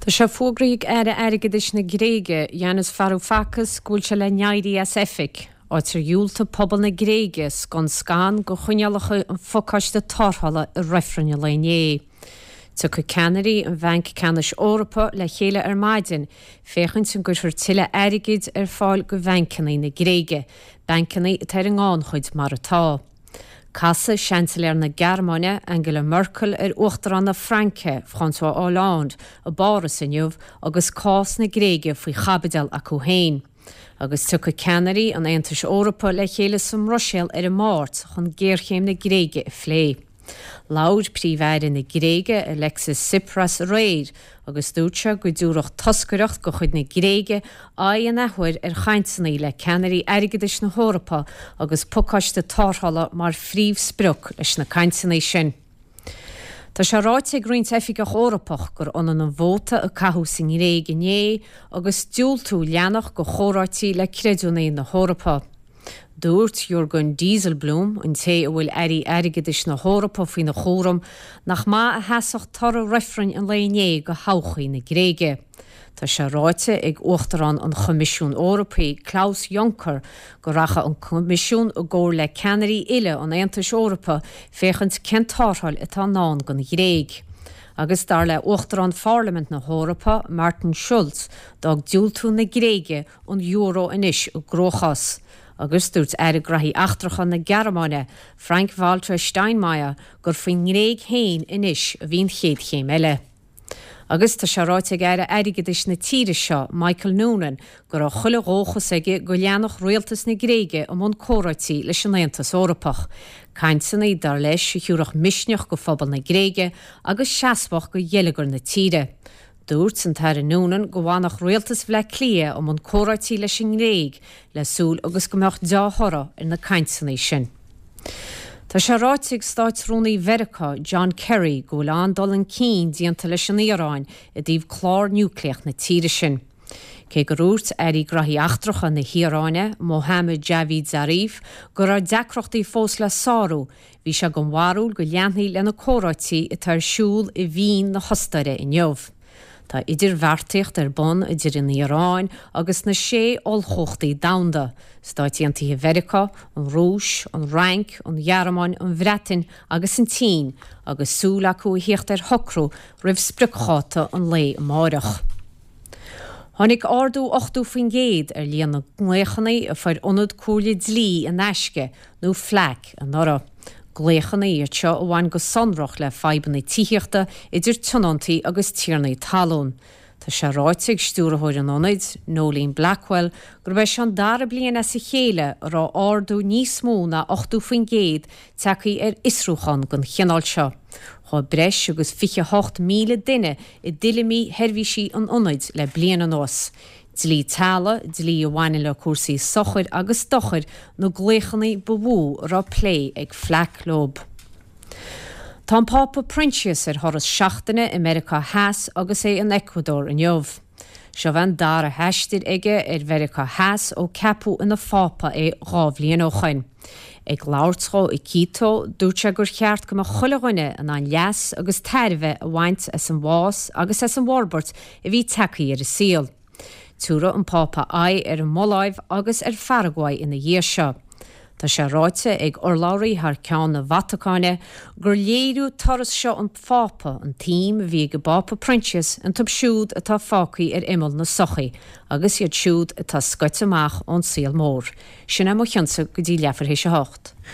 Tá sé fógraithe ag Aire Airgeadais na Gréige, Yanis Varoufakis, go bhfuil sé le n-éirí as oifig, áit ar dhiúltaigh pobal na Gréige scun scan go choinníollacha an phacáiste tarrthála i reifreann an lae inné. Tiocfaidh ceannairí an Bhainc Ceannais Eorpaigh le chéile ar maidin féachaint an gcuirfear tuilleadh airgid ar fáil go bhancanna na Gréige, bancanna atá ar an ngannchuid mar atá. Casfaidh Seansailéir na Gearmáine, Angela Merkel ar Uachtarán na Fraince, François Hollande, i bPáras inniu agus cás na Gréige faoi chaibideal acu féin. Agus tiocfaidh ceannairí an Aontais Eorpaigh le chéile sa mBruiséil ar an Máirt chun géarchéim na Gréige a phlé. Labhair Príomh-Aire na Gréige, Alexis Tsipras aréir agus dúirt sé go dtiúrfadh toscaireacht de chuid na Gréige aghaidh an athuair ar chainteanna le ceannairí airgeadais na hEorpa agus pacáiste tarrthála mar phríomhsprioc leis na cainteanna sin. Tá sé ráite ag roinnt oifigeach Eorpach gur ionann an vóta a caitheadh sa nGréig inné agus diúltú leanacht go chomhráití le creidiúnaithe na hEorpa. Dúirt Jurgen Dijsselbloem, an té a bhfuil airí airgeadais na hEorpa faoina chúram, nach maith a sheasfadh toradh reifrinn an lae inné go thodhchaí na Gréige. Tá sé ráite ag Uachtarán an Choimisiúin Eorpaigh, Klaus Juncker, go rachadh an Coimisiún i gcomhar le ceannairí uile an Aontais Eorpaigh féachaint cén tarrtháil atá i ndán don Ghréig. Agus dar le Uachtarán Pharlaimint na hEorpa, Martin Schulz, d'fhág diúltú na Gréige an euro anois i gcruachás. Agus dúirt Aire Graithí Eachtracha na Gearmáine, Frank-Walter Steinmeier, gur faoin nGréig féin anois a bhí an chéad chéim eile. Agus tá sé ráite ag Aire Airgeadais na tíre seo, Michael Noonan, go raibh chuile dhóchas aige go leanfadh rialtas na Gréige i mbun comhráití leis an Aontas Eorpach. Cainteanna, dar leis, a thiúrfadh misneach go phobal na Gréige agus seasmhacht go gheilleagar na tíre. Dúirt an tAire Noonan go bhfanfadh rialtas Bhleá Cliath i mbun comhráití leis an nGréig le súil agus go mbeadh deá-thoradh ar na cainteanna sin. Tá sé ráite ag Státrúnaí Mheiriceá, John Kerry, go bhfuil an-dul chun cinn déanta leis an Iaráin i dtaobh clár núicléach na tíre sin. Cé gur dhúirt Aire Graithí Eachtracha na hIaráine, Mohammad Javad Zarif, go raibh deacrachtaí fós le sárú, Bhí sé den bharúil go leanfaí le na comhráití atá ar siúl i Vín na hOstaire inniu. Tá idirbheartaíocht ar bun idir an Iaráin agus na sé ollchumhachtaí domhanda, Stáit Aontaithe Mheiriceá, an Rúis, an Fhrainc, an Ghearmáin, an Bhreatain agus an tSín, agus súil acu a thíocht ar shocrú roimh spriocdháta an lae amáireach. Tháinig ardú 80% ar líon na nglaochanna a fuair Ionad Comhairle Dlí in Aisce, nó FLAC, anuraidh. Glaochanna iad seo a bhain go sonrach le fadhbanna tithíochta idir tionóntaí agus tiarnaí talún. Tá sé ráite ag stiúrthóir an ionaid, Noeline Blackwell, gurb é seo an dara bliain as a chéile a raibh ardú níos mó ná 80% tagtha ar fhiosrúchán den chineál seo. Chuaigh breis agus 28,000 duine i dtuilleamaí sheirbhísí an ionaid le bliain anuas. Dlí teaghlaigh, dlí a bhaineann le cúrsaí sochair agus dochair na glaochanna ba mhó a raibh plé ag FLAC leo. Tá an Pápa Proinsias ar thuras seachtaine i Meiriceá Theas agus é in Ecuador inniu. Seo é an dara haistear aige ar Mheiriceá Theas ó ceapadh ina Phápa é 2 bhliain ó shoin. Ag labhairt dhó i Quito, dúirt sé gur cheart go mbeadh chuile dhuine in ann leas agus tairbhe a bhaint as an bhfás agus as an bhforbairt a bhí tagtha ar an saol. Tiúrfaidh an Pápa aghaidh ar an mBoláiv agus ar Pharaguay ina dhiaidh seo. Tá sé ráite ag urlabhraí thar ceann na Vatacáine gur léiriú turas seo an Phápa an tsuim a bhí ag an bPápa Proinsias iontu siúd atá fágtha ar imeall na sochaí agus iad siúd atá scoite amach ón saol mór. Sin é mo chionnsa go dtí leathuair théis a hocht.